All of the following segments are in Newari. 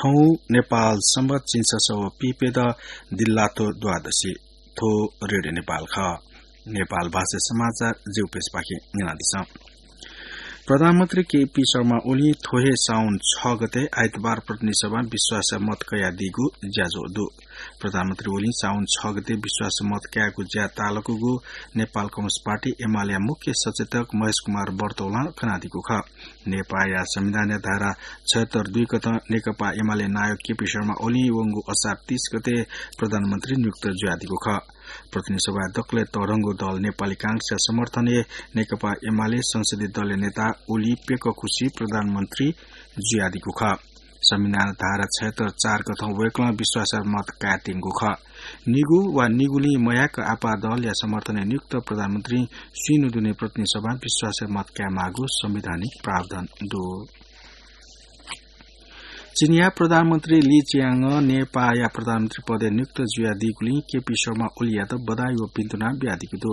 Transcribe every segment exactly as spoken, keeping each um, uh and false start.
नेपाल संवत झिंछसः व पीप्यदँ दिल्लाथ्व द्वादशी। थ्व रेडियो नेपाल खः। नेपाल भाषा समाचार जिगु पेजपाखें न्यनादिसँ। प्रधानमन्त्री केपी शर्मा ओलीं थ्व हे साउन छ गते आइतबार प्रतिनिधि सभां विश्वास मत कयादीगु ज्याझ्वः दु। प्रधानमन्त्री ओलीं साउन छ गते विश्वास मत कायेगु ज्या तालुकागु नेपाल कम्युनिस्ट पार्टी एमालेया मुख्य सचेतक महेश कुमार बर्तौलं कनादीगु खः। नेपाःया संविधानया धारा छयहत्तर दुई कथं नेकपा एमाले नायः केपी शर्मा ओलीं वंगु असार तीस गते प्रधानमन्त्री नियुक्त जुयादीगु खः। प्रतिनिधि सभाय् दकलय् तःधंगु दल नेपाली कांग्रेसया समर्थनय् नेकपा एमाले संसदीय दलया नेता ओली प्यकखुसी प्रधानमन्त्री जुयादीगु खः। संविधान धारा छयहत्तर चार कथं वय्कलं विश्वास मत कायेत्यंगु खः। निगू वा निगुलिं मयाक आपाः दलया समर्थनय् नियुक्त प्रधानमन्त्री स्वीन्हु दुने प्रतिनिधि सभां विश्वास मत कायेमाःगु संवैधानिक प्रावधान दु। चीनया प्रधानमन्त्री ली चियाङं नेपाःया प्रधानमन्त्री पदय् नियुक्त जुयादीगुलिं केपी शर्मा ओलीयात बधाई व भिन्तुना बियादीगु दु।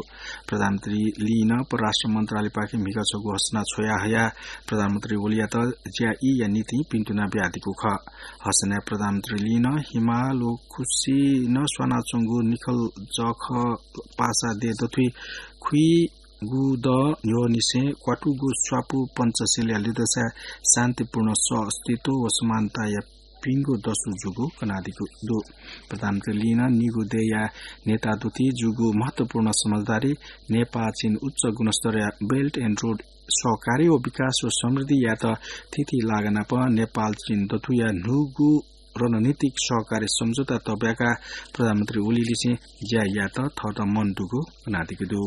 प्रधानमन्त्री लीं परराष्ट्र मन्त्रालयपाखें म्हिगः छगू हसना छ्वया हयाः प्रधानमन्त्री ओलीयात ज्या ईया निंतिं भिन्तुना बियादीगु खः। हसनाय् प्रधानमन्त्री लीं हिमाल व खुसिनं स्वानाच्वंगु निखल जःखः पासा देय् दथुइ खुइगु दँ न्ह्यःनिसें क्वातुगु स्वापू पञ्चशीलया लिधंसाय् शान्तिपूर्ण सह अस्तित्व व समानताया भिंगु दसु जूगु कनादीगु दु। प्रधानमन्त्री लीं निगू देय्या नेता दुथुइ जूगु महत्वपूर्ण समझदारी, नेपाः चीन उच्च गुणस्तरया Belt and Road सहकार्य व विकास व समृद्धियात थीथी लागानाप नेपाल चीन दथुया न्हूगु रणनीतिक सहकार्य सम्झौता तःब्याकाः प्रधानमन्त्री ओलीलिसें ज्या यायेत थःत मन दुगु कनादीगु दु।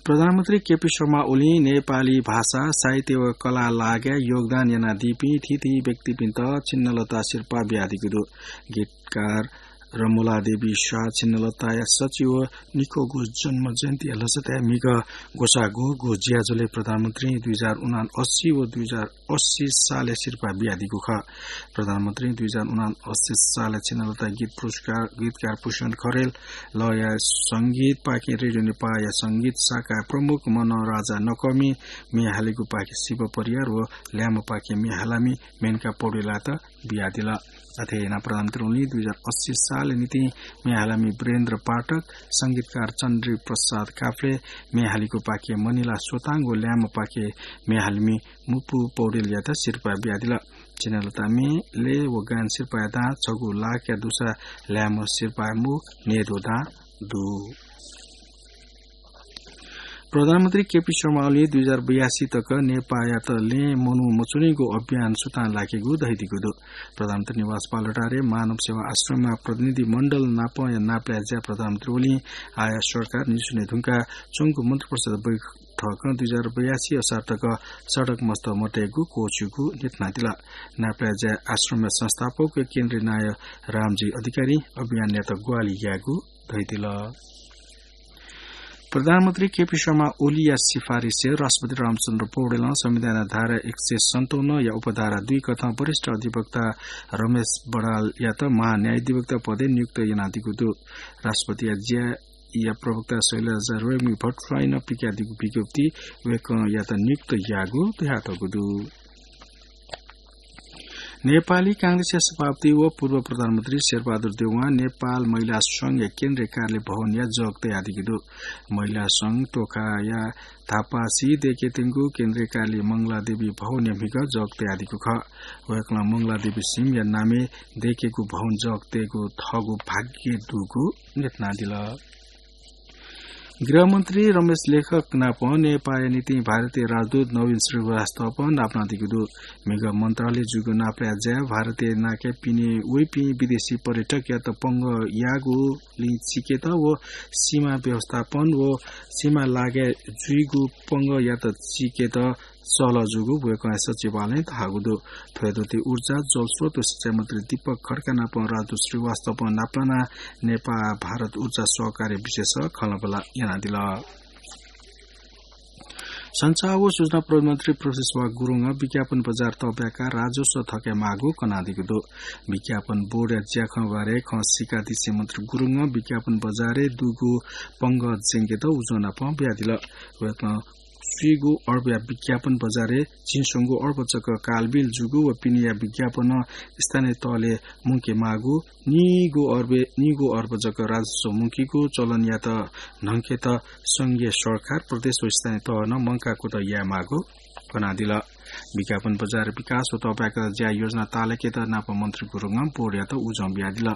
प्रधानमन्त्री केपी शर्मा ओलीं नेपाली भाषा, साहित्य व कला लागाय् योगदान यानादीपिं थीथी व्यक्तिपिन्त छिन्नलता सिरपाः बियादीगु दु। गीतकार रमलादेवी शाह छिन्नलताया सचिव व निक्वःगु जन्म जयन्तीया लसताय् म्हिगः ग्वसाःगु ज्याझ्वलय् प्रधानमन्त्रीं दुई हजार उनासी व दुई हजार अस्सी सालय् सिरपाः बियादीगु खः। प्रधानमन्त्रीं दुई हजार उनासी सालय् छिन्नलता गीत पुरस्कार, गीतकार पुष्पन खरेल, लया संगीतपाखें रेडियो नेपाःया संगीत शाखाया प्रमुख मनराजा नकःमिं म्ये हालीगुपाखें शिव परियार व ल्याय्म्हपाखें म्ये हालामि मेनका पौडेलयात बियादिल। अथे यानाः प्रधानमन्त्री ओलीं दुई हजार अस्सी सालया निंतिं म्ये हालामि वीरेन्द्र पाठक, संगीतकार चन्द्री प्रसाद काफ्ले, म्ये हालीगुपाखें मनिला सोताङ व ल्याय्म्हपाखें म्ये हालामि मुपु पौडेलयात सिरपाः बियादिल। छिन्नलता म्ये, लय् व गायन सिरपाःया दां छगू लाखया दुसा ल्याय्म्ह सिरपाःया मुख न्हय्द्वः दां दु। प्रधानमन्त्री केपी शर्मा ओलीं दुई हजार बयासी तक नेपाःयात लँय् मनू मच्वनीगु अभियान सुथां लाकेगु धयादीगु दु। प्रधानमन्त्री निवास बालुवाटारय् मानव सेवा आश्रमया प्रतिनिधि मण्डल नापंया नापलाये ज्याय् प्रधानमन्त्री ओलीं आःया सरकार निसुने धुंकाः च्वंगु मन्त्रिपरिषद बैठकं दुई हजार बयासी असार तक सडक मस्त मतयेगु क्वःछिउगु न्ह्यथनादिल। नापलाये ज्याय् आश्रमया संस्थापक व केन्द्रीय नायः रामजी अधिकारीं अभियानयात ग्वाहालि यायेगु धयादिल। प्रधानमन्त्री केपी शर्मा ओलीया सिफारिसय् राष्ट्रपति रामचन्द्र पौडेलं संविधानया धारा एक सय सन्ताउन्न या उपधारा दुई कथं वरिष्ठ अधिवक्ता रमेश बडालयात महान्यायाधिवक्ता पदय् नियुक्त यानादीगु दु। राष्ट्रपतिया ज्याया प्रवक्ता शैलजा रेग्मी भट्टराईं पिकादीगु विज्ञप्तिइ वय्कःयात नियुक्त याःगु धयातःगु दु। नेपाली कांग्रेसया सभापति व पूर्व प्रधानमन्त्री शेरबहादुर देउवां नेपाल महिला संघया केन्द्रीय कार्यालय भवनया जग तयादीगु दु। महिला संघ तोखाया धापासी देय्केत्यंगु केन्द्रीय कार्यालय मंगलादेवी भवनया म्हिगः जग तयादीगु खः। वय्कलं मंगलादेवी सिंहया नामय् देय्केगु भवन जग तयेगु थःगु भाग्य दुगु न्ह्यथनादिल। गृहमन्त्री रमेश लेखक नाप नेपाःया निंतिं भारतीय राजदूत नवीन श्रीवास्तवं नापलानादीगु दु। म्हिगः मन्त्रालयय् जूगु नापलाये ज्याय् भारतय् नाके पिने वइपिं विदेशी पर्यटकयात पंगः याःगुलिं चीकेत व सीमा व्यवस्थापन व सीमा लागाय् जुइगु पंगःयात चीकेत सहलह जूगु वय्कःया सचिवालयं धाःगु दु। थ्व हे तुं ऊर्जा, जलस्रोत व सिँचाइ मन्त्री दीपक खड्का नाप राजदूत श्रीवास्तवं नापलानाः नेपाः भारत ऊर्जा सहकार्य विषयय् खँल्हाबल्हा यानादिल। सञ्चार व सूचना प्रविधि मन्त्री प्रवेशबहादुर गुरुङं विज्ञापन बजार तःब्याकाः राजस्व थकायेमाःगु कनादीगु दु। विज्ञापन बोर्डया ज्याखँ बारे खँ सीकादिसें मन्त्री गुरुङं विज्ञापन बजारय् दुगु पंगः ज्यंकेत उजं नाप बियादिल। वय्कलं स्वीगू अर्बया विज्ञापन बजारय् झिंस्वंगू अर्ब जक कालबिल जूगु व पिनेया विज्ञापन स्थानीय तहले मुंके माःगु, निगू अर्ब, निगू अर्ब जक राजस्व मुंकीगु चलनयात न्हंकेत संघीय सरकार, प्रदेश व स्थानीय तहं मंकाः कुतः याये माःगु कनादिल। विज्ञापन बजार विकास व तःपाय्‌कः ज्या योजना ताःलाकेत नापं मन्त्री गुरुङं बोर्डयात उजं बियादिल।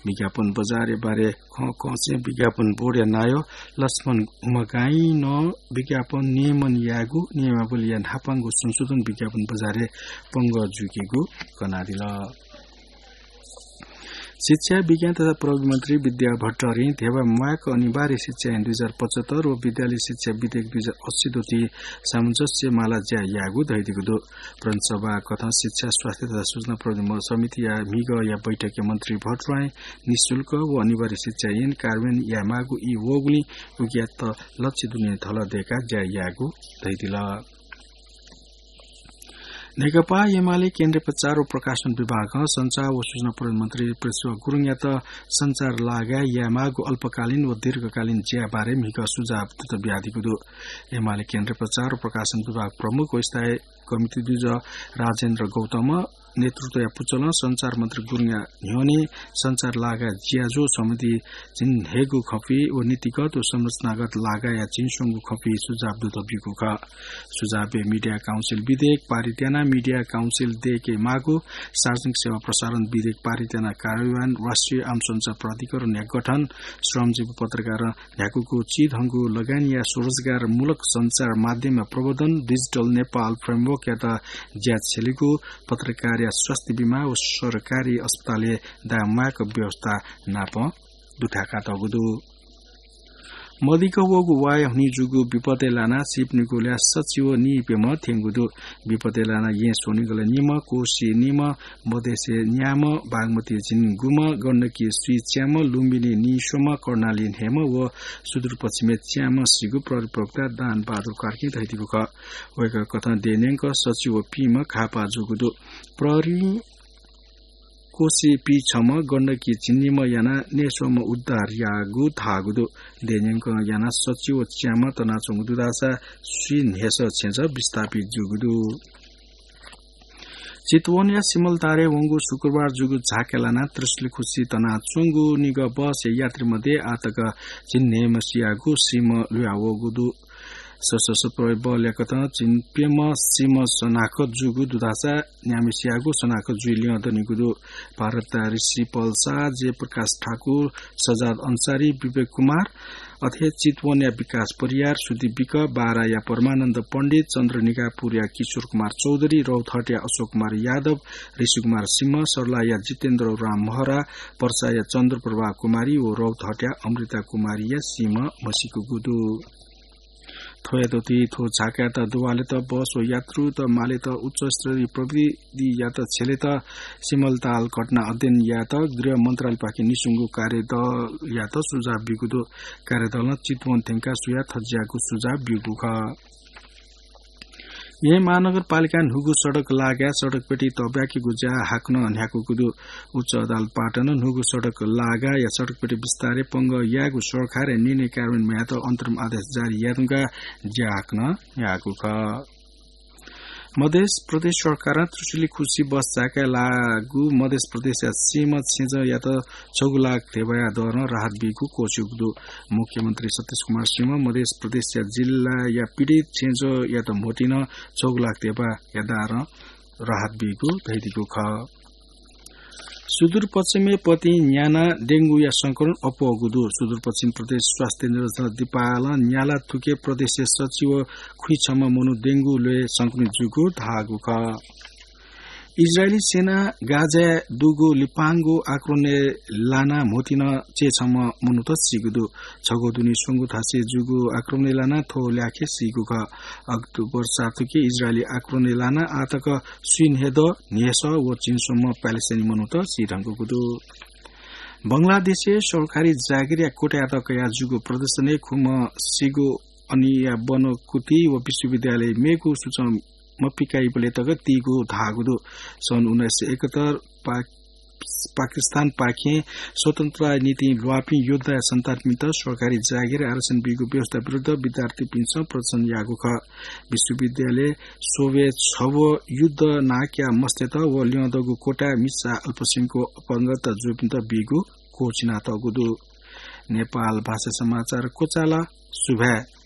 विज्ञापन बजारया बारे खँ कःसें विज्ञापन बोर्डया नायः लक्ष्मण उमगाईं नं विज्ञापन नियमन यायेगु नियमावलीया न्हापांगु संशोधन विज्ञापन बजारय् पंगः जुइकेगु कनादिल। शिक्षा, विज्ञान तथा प्रविधि मन्त्री विद्या भट्टराईं ध्यबा म्वायेक अनिवार्य शिक्षा ऐन दुई हजार पचहत्तर व विद्यालय शिक्षा विधेयक दुई हजार अस्सी दथुइ सामञ्जस्य माला ज्या याःगु धयादीगु दु। प्रदेश सभा कथं शिक्षा, स्वास्थ्य तथा सूचना प्रविधि म-, समितिया म्हिगःया बैठकय् मन्त्री भट्टराईं निशुल्क व अनिवार्य शिक्षा ऐन कार्यान्वयन यायेमाःगु ई वःगुलिं उकियात लच्छि दुने धल दय्काः ज्या याःगु धयादिल। नेकपा एमाले केन्द्रीय प्रचार व प्रकाशन विभागं सञ्चार व सूचना प्रविधि मन्त्री पृथ्वी गुरुङयात सञ्चार लागाय् यायेमाःगु अल्पकालीन व दीर्घकालीन ज्या बारे म्हिगः सुझाव दुत बियादीगु दु। एमाले केन्द्रीय प्रचार व प्रकाशन विभाग प्रमुख व स्थायी कमिटी दुजः राजेन्द्र गौतम नेतृत्वया पुचलं सञ्चार मन्त्री गुरुङया न्ह्यःने सञ्चार लागाय् ज्याझ्वः सम्बन्धी झिंन्हय्गू खँपि व नीतिगत व संरचनागत लागाय्‌या झिंस्वंगू खँपि सुझाव दुत ब्यूगु खः। सुझावय् मिडिया काउन्सिल विधेयक पारित यानाः मिडिया काउन्सिल दय्के माःगु, सार्वजनिक सेवा प्रसारण विधेयक पारित यानाः कार्यान्वयन, राष्ट्रिय आम सञ्चार प्राधिकरणया गठन, श्रमजीवी पत्रकार न्ह्याकूगु चिधंगु लगानीया स्वरोजगारमूलक सञ्चार माध्यमया प्रवर्धन, डिजिटल नेपाल फ्रेमवर्कयात ज्या छ्यलेगु, पत्रकारया स्वास्थ्य बिमा व सरकारी अस्पतालय् दाय् म्वायेक व्यवस्था नापं दुथ्याकातःगु दु। मदिक्क वःगु वाय् हुनिं जूगु विपदय् लानाः सीपिनिगु ल्याः सच्छि व नीप्यम्ह थ्यंगु दु। विपदय् लानाः येँ स्वनिगलय् निम्ह, कोशी निम्ह, मधेशय् न्याम्ह, बागमती झिंगुम्ह, गण्डकी स्वीच्याम्ह, लुम्बिनी नीस्वम्ह, कर्णाली न्हय्म्ह व सुदूरपश्चिमय् च्याम्ह सीगु प्रहरी प्रवक्ता दान बहादुर कार्कीं धयादीगु खः। वय्कः कथं देय् न्यंक सच्छि व पीम्ह घाःपाः जूगु दु। प्रहरीं कोशी पीछम्ह, गण्डकी झिंनिम्ह यानाः नय्स्वम्ह उद्धार याःगु धाःगु दु। देय् न्यंकं यानाः सच्छि व च्याम्ह तनाच्वंगु दु धाःसा स्वीन्हय्सः छेँजः विस्थापित जूगु दु। चितवनया सिमलतालय् वंगु शुक्रबार जूगु झाँक्री लानाः त्रिशुलिखुसी तनाच्वंगु निगः बसया यात्री मध्ये आःतक झिंन्हय्म्ह सियागु सीम्ह लुयावःगु दु। सशस्त्र प्रहरी बलया कथं झिंप्यम्ह सीम्ह सनाखत जूगु दु धाःसा न्याम्हसियागु सनाखत जुइ ल्यं दनिगु दु। भारतया ऋषि पल शाह, जयप्रकाश ठाकुर, सजाद अन्सारी, विवेक कुमार, अथे चितवनया विकास परियार, सुदीप विक, बाराया परमानन्द पण्डित, चन्द्रनिगापुरया किशोर कुमार चौधरी, रौतहटया अशोक कुमार यादव, ऋषि कुमार सिंह, सर्लाहीया जितेन्द्र राम महरा, पर्साया चन्द्रप्रभा कुमारी व रौतहटया अमृता कुमारीया सीम्ह म्हसीकूगु दु। थ्वयात ति थ्व झाँक्रीयात दुवालेत बस व यात्रुत मालेत उच्चस्तरीय प्रविधियात छ्यलेत सिमलताल घटना अध्ययन यायेत गृह मन्त्रालयपाखें निस्वंगु कार्यदलयात सुझाव ब्यूगु दु। कार्यदलं चितवन थ्यंकाः सुयाः थज्याःगु सुझाव ब्यूगु खः। येँ महानगरपालिकां न्हूगु सडक लागाय् सडकपेटी तब्याकीगु ज्या हाकनं न्ह्याकूगु दु। उच्च अदालत पाटनं न्हूगु सडक लागाय् या सडकपेटी विस्तारय् पंगः यायेगु सरकारया निर्णय कार्यान्वयन यायेत अन्तरिम आदेश जारी यायेधुंकाः ज्या हाकनं न्ह्याकूगु खः। मधेस प्रदेश सरकारं त्रिशुलिखुसी बस चाय्काय् लाःगु मधेस प्रदेशया सीम्ह छेँजःयात छगू लाख धेबाया दरं राहत बीगु क्वःछिउगु दु। मुख्यमन्त्री सतीश कुमार सिंहं मधेस प्रदेशया जिल्लाया पीडित छेँजःयात म्होतिं छगू लाख धेबाया दरं राहत बीगु धयादीगु खः। सुदूरपश्चिमय् पतिं न्यानाः डेंगूया संक्रमण अप्वःगु दु। सुदूरपश्चिम प्रदेश स्वास्थ्य निरीक्षण दिपालं न्याला थुके प्रदेशय् सच्छि व खुइछम्ह मनू डेंगू ल्वय् संक्रमित जूगु धाःगु खः। इजरायली सेनां गाजाय् दुगु लिपांगु आक्रमणय् लानाः म्होतिं चय्छम्ह मनूत सीगु दु। छगू दुने स्वंगू थासय् जूगु आक्रमणय् लानाः थ्व ल्याखय् सीगु खः। अक्टोबर सात थुके इजरायली आक्रमणय् लानाः आःतक स्वीन्हय्दँ न्हय्सः व झिंस्वम्ह प्यालेस्टाइनी मनूत सीधंकूगु दु। बंगलादेशय् सरकारी जागिरया कोटायात कयाः जूगु प्रदर्शनय् खुम्ह सीगु अनिया बनकुति व विश्वविद्यालय मेगु सूचं मपिकाइबलय् तक तीगु धाःगु दु। सन् उन्नाइस सय एकहत्तर पा-, पाकिस्तानपाखें स्वतन्त्रताया निंतिं ल्वाःपिं योद्धाया सन्तानपिन्त सरकारी जागिर आरक्षण बीगु व्यवस्था विरुद्ध विद्यार्थीपिन्सं प्रदर्शन याःगु खः। विश्वविद्यालय सोभे छब्व युद्ध नाक्या मस्तय्त व ल्यंदगु कोटाय् मिसा अल्पसंख्यक अपहरणरत जूपिन्त बीगु क्वःछिनातःगु दु। नेपाल भाषा समाचार क्वचाल। सुभाय्।